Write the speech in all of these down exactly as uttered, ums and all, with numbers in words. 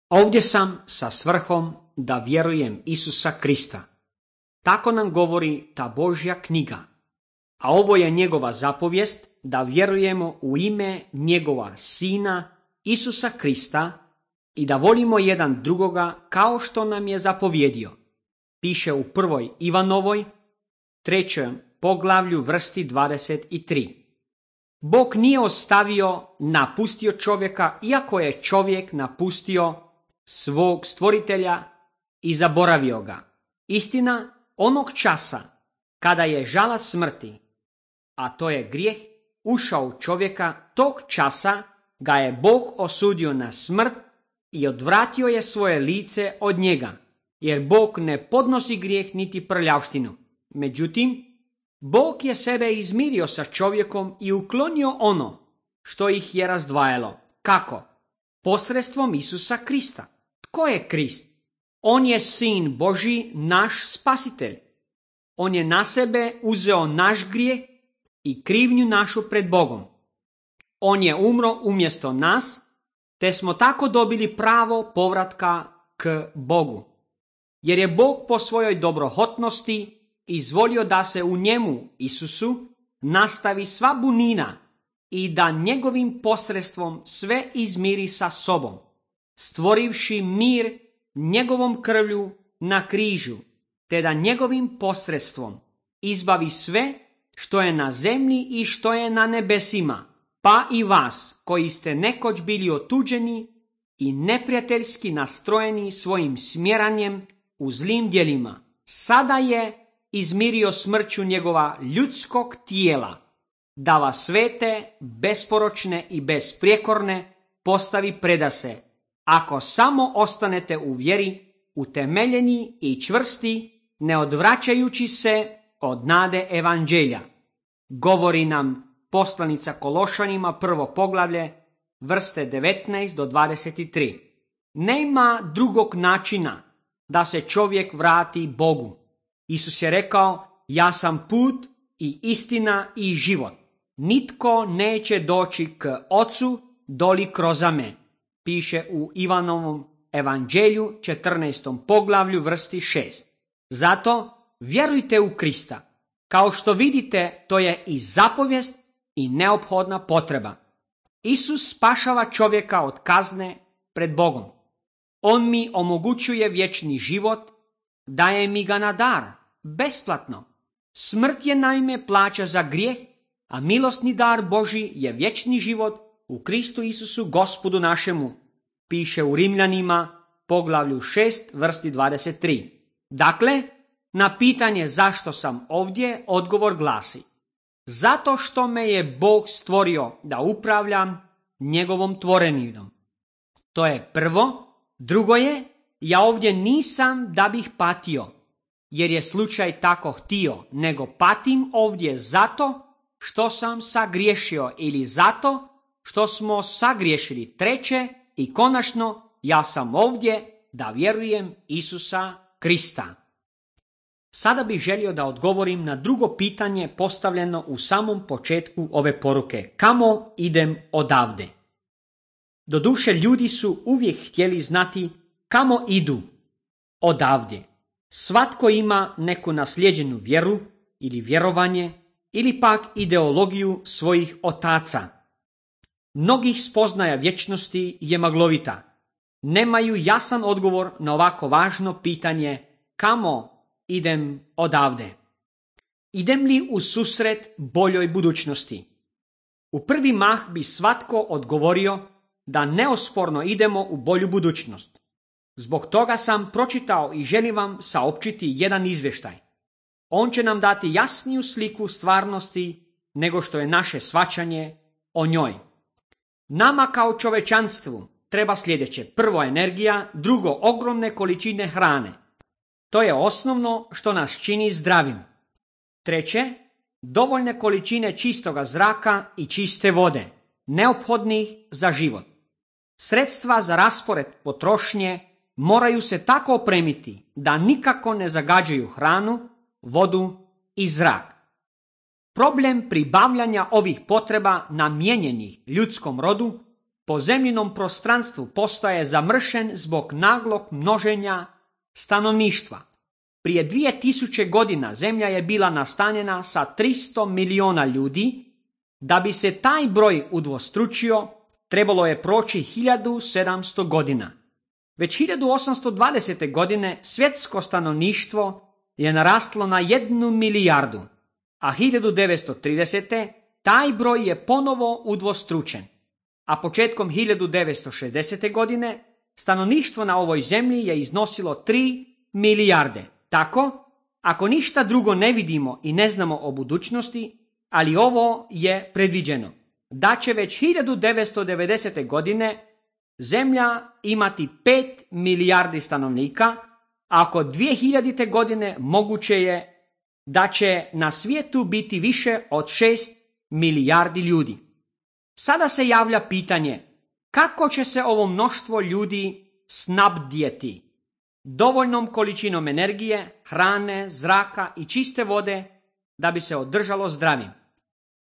Ovdje sam sa svrhom da vjerujem Isusa Krista. Tako nam govori ta Božja knjiga. A ovo je njegova zapovijest da vjerujemo u ime njegova Sina Isusa Krista i da volimo jedan drugoga kao što nam je zapovjedio. Piše u prvoj Ivanovoj, trećem poglavlju vrsti dvadeset tri. Bog nije ostavio, napustio čovjeka, iako je čovjek napustio svog stvoritelja i zaboravio ga. Istina, onog časa kada je žalac smrti, a to je grijeh, ušao u čovjeka, tog časa ga je Bog osudio na smrt i odvratio je svoje lice od njega, jer Bog ne podnosi grijeh niti prljavštinu. Međutim, Bog je sebe izmirio sa čovjekom i uklonio ono što ih je razdvajalo. Kako? Posredstvom Isusa Krista. Tko je Krist? On je Sin Božji, naš spasitelj. On je na sebe uzeo naš grijeh i krivnju našu pred Bogom. On je umro umjesto nas, te smo tako dobili pravo povratka k Bogu. Jer je Bog po svojoj dobrohotnosti izvolio da se u njemu, Isusu, nastavi sva bunina i da njegovim posredstvom sve izmiri sa sobom, stvorivši mir njegovom krvlju na križu, te da njegovim posredstvom izbavi sve što je na zemlji i što je na nebesima, pa i vas koji ste nekoć bili otuđeni i neprijateljski nastrojeni svojim smjeranjem u zlim djelima. Sada je izmirio smrću njegova ljudskog tijela, da vas svete, besporočne i besprijekorne postavi predase, ako samo ostanete u vjeri, utemeljeni i čvrsti, ne odvraćajući se od nade evanđelja. Govori nam poslanica Kološanima, prvo poglavlje, vrste devetnaest do dvadeset tri. Nema drugog načina da se čovjek vrati Bogu. Isus je rekao, ja sam put i istina i život. Nitko neće doći k Ocu doli kroz me. Piše u Ivanovom evanđelju, četrnaestom poglavlju, vrsti šest. Zato vjerujte u Krista. Kao što vidite, to je i zapovijest i neophodna potreba. Isus spašava čovjeka od kazne pred Bogom. On mi omogućuje vječni život, daje mi ga na dar, besplatno. Smrt je naime plaća za grijeh, a milosni dar Božji je vječni život u Kristu Isusu Gospodu našemu. Piše u Rimljanima, poglavlju šest, vrsti dvadeset tri. Dakle, na pitanje zašto sam ovdje, odgovor glasi: zato što me je Bog stvorio da upravljam njegovom tvoreninom. To je prvo. Drugo je, ja ovdje nisam da bih patio, jer je slučaj tako htio, nego patim ovdje zato što sam sagriješio ili zato što smo sagriješili. Treće i konačno, ja sam ovdje da vjerujem Isusa Krista. Sada bih želio da odgovorim na drugo pitanje postavljeno u samom početku ove poruke. Kamo idem odavde? Doduše, ljudi su uvijek htjeli znati kamo idu odavde. Svatko ima neku naslijeđenu vjeru ili vjerovanje ili pak ideologiju svojih otaca. Mnogih spoznaja vječnosti je maglovita. Nemaju jasan odgovor na ovako važno pitanje kamo idem odavde. Idem li u susret boljoj budućnosti? U prvi mah bi svatko odgovorio da neosporno idemo u bolju budućnost. Zbog toga sam pročitao i želim vam saopćiti jedan izvještaj. On će nam dati jasniju sliku stvarnosti nego što je naše shvaćanje o njoj. Nama kao čovečanstvu treba sljedeće: prvo energija, drugo ogromne količine hrane. To je osnovno što nas čini zdravim. Treće, dovoljne količine čistoga zraka i čiste vode, neophodnih za život. Sredstva za raspored potrošnje moraju se tako opremiti da nikako ne zagađuju hranu, vodu i zrak. Problem pribavljanja ovih potreba namijenjenih ljudskom rodu po zemljinom prostranstvu postaje zamršen zbog naglog množenja stanovništva. Prije dvije tisuće godina zemlja je bila nastanjena sa tristo miliona ljudi. Da bi se taj broj udvostručio, trebalo je proći hiljadu sedamsto godina. Već hiljadu osamsto dvadesete. godine svjetsko stanovništvo je naraslo na jednu milijardu, a hiljadu devetsto tridesete. taj broj je ponovo udvostručen. A početkom hiljadu devetsto šezdesete. godine stanovništvo na ovoj zemlji je iznosilo tri milijarde. Tako, ako ništa drugo ne vidimo i ne znamo o budućnosti, ali ovo je predviđeno, da će već hiljadu devetsto devedesete. godine zemlja imati pet milijardi stanovnika, a oko dvije hiljadite. godine moguće je da će na svijetu biti više od šest milijardi ljudi. Sada se javlja pitanje, kako će se ovo mnoštvo ljudi snabdjeti dovoljnom količinom energije, hrane, zraka i čiste vode da bi se održalo zdravim.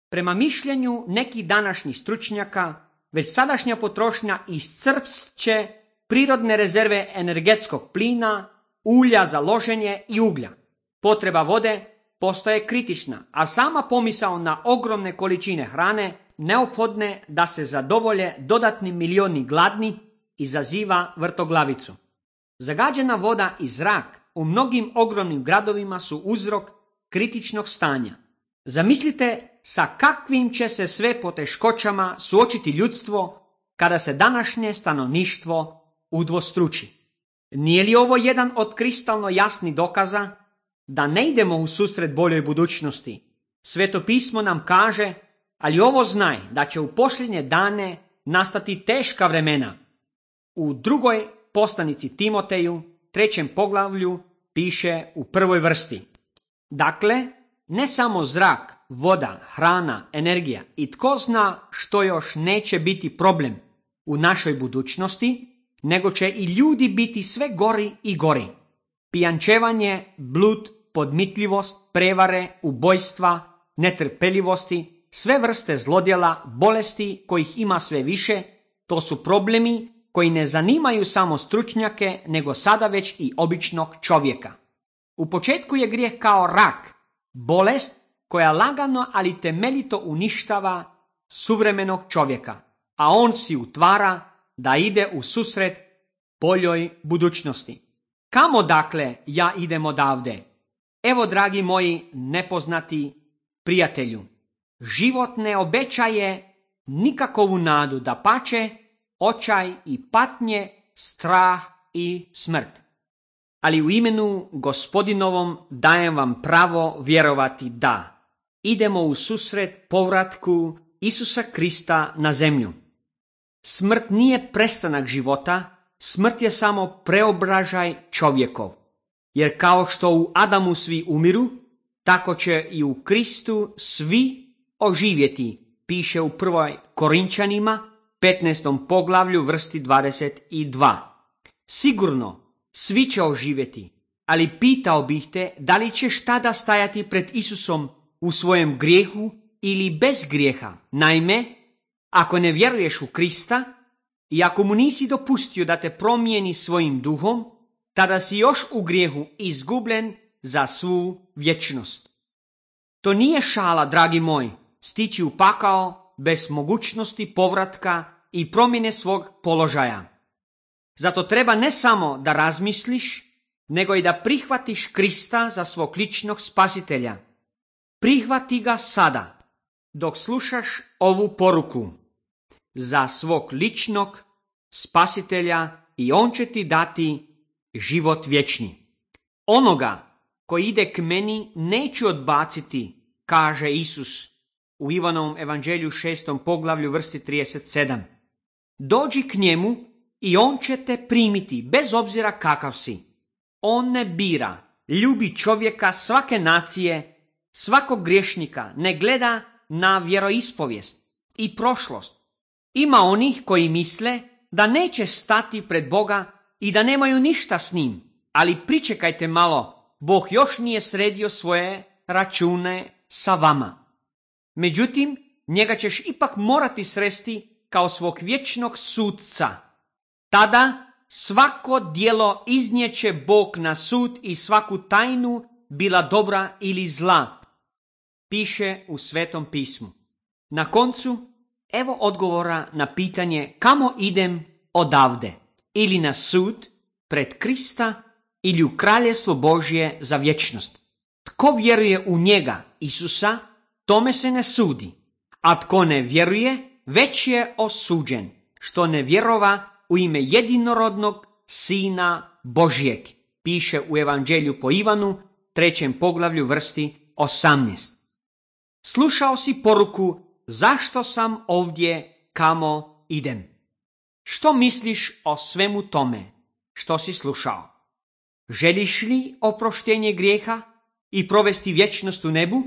Prema mišljenju nekih današnjih stručnjaka, već sadašnja potrošnja iscrpće prirodne rezerve energetskog plina, ulja za loženje i uglja. Potreba vode postaje kritična, a sama pomisao na ogromne količine hrane neophodne da se zadovolje dodatni milioni gladni izaziva vrtoglavicu. Zagađena voda i zrak u mnogim ogromnim gradovima su uzrok kritičnog stanja. Zamislite sa kakvim će se sve poteškoćama suočiti ljudstvo kada se današnje stanovništvo udvostruči. Nije li ovo jedan od kristalno jasnih dokaza da ne idemo u susret boljoj budućnosti? Sveto pismo nam kaže, ali ovo znaj da će u posljednje dane nastati teška vremena. U drugoj poslanici Timoteju, trećem poglavlju, piše u prvoj vrsti. Dakle, ne samo zrak, voda, hrana, energija i tko zna što još neće biti problem u našoj budućnosti, nego će i ljudi biti sve gori i gori. Pijančevanje, blud, podmitljivost, prevare, ubojstva, netrpeljivosti, sve vrste zlodjela, bolesti kojih ima sve više, to su problemi koji ne zanimaju samo stručnjake, nego sada već i običnog čovjeka. U početku je grijeh kao rak, bolest koja lagano ali temeljito uništava suvremenog čovjeka, a on si utvara da ide u susret boljoj budućnosti. Kamo dakle ja idem odavde? Evo, dragi moji nepoznati prijatelju, život ne obećaje nikakovu nadu, dapače, očaj i patnje, strah i smrt. Ali u imenu Gospodinovom dajem vam pravo vjerovati da idemo u susret povratku Isusa Krista na zemlju. Smrt nije prestanak života, smrt je samo preobražaj čovjekov. Jer kao što u Adamu svi umiru, tako će i u Kristu svi oživjeti, piše u prvoj Korinčanima, petnaestom poglavlju, vrsti dvadeset dva. Sigurno, svi će oživjeti, ali pitao bih te da li ćeš tada stajati pred Isusom u svojem grijehu ili bez grijeha. Naime, ako ne vjeruješ u Krista i ako mu nisi dopustio da te promijeni svojim duhom, tada si još u grijehu izgubljen za svu vječnost. To nije šala, dragi moj, stići u pakao bez mogućnosti povratka i promjene svog položaja. Zato treba ne samo da razmisliš, nego i da prihvatiš Krista za svog ličnog spasitelja. Prihvati ga sada, dok slušaš ovu poruku, za svog ličnog spasitelja, i on će ti dati život vječni. Onoga koji ide k meni neću odbaciti, kaže Isus u Ivanovom evanđelju šestom poglavlju, vrsti trideset sedam. Dođi k njemu i on će te primiti bez obzira kakav si. On ne bira, ljubi čovjeka svake nacije, svakog griješnika, ne gleda na vjeroispovijest i prošlost. Ima onih koji misle da neće stati pred Boga i da nemaju ništa s njim, ali pričekajte malo, Bog još nije sredio svoje račune sa vama. Međutim, njega ćeš ipak morati sresti kao svog vječnog sudca. Tada svako djelo iznijeće Bog na sud i svaku tajnu, bila dobra ili zla, piše u Svetom pismu. Na koncu, evo odgovora na pitanje kamo idem odavde, ili na sud pred Krista ili u kraljestvo Božje za vječnost. Tko vjeruje u njega, Isusa, tome se ne sudi, a tko ne vjeruje, već je osuđen, što ne vjerova u ime jedinorodnog Sina Božjeg, piše u Evanđelju po Ivanu, trećem poglavlju, vrsti osamnaest. Slušao si poruku zašto sam ovdje, kamo idem. Što misliš o svemu tome što si slušao? Želiš li oproštenje grijeha i provesti vječnost u nebu?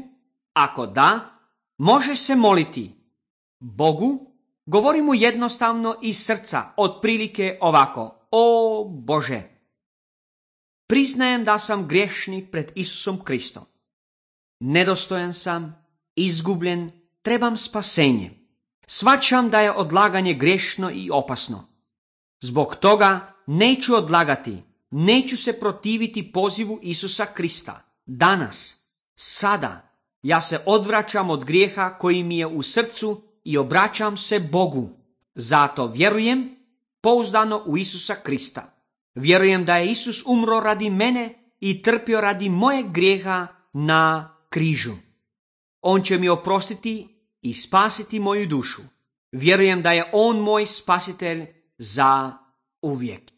Ako da, može se moliti Bogu, govori mu jednostavno iz srca, otprilike ovako: O Bože, priznajem da sam griješnik pred Isusom Kristom. Nedostojan sam, izgubljen, trebam spasenje. Shvaćam da je odlaganje grešno i opasno. Zbog toga neću odlagati, neću se protiviti pozivu Isusa Krista. Danas, sada, ja se odvraćam od grijeha koji mi je u srcu i obraćam se Bogu. Zato vjerujem pouzdano u Isusa Krista. Vjerujem da je Isus umro radi mene i trpio radi mojeg grijeha na križu. On će mi oprostiti i spasiti moju dušu. Vjerujem da je on moj spasitelj za uvijek.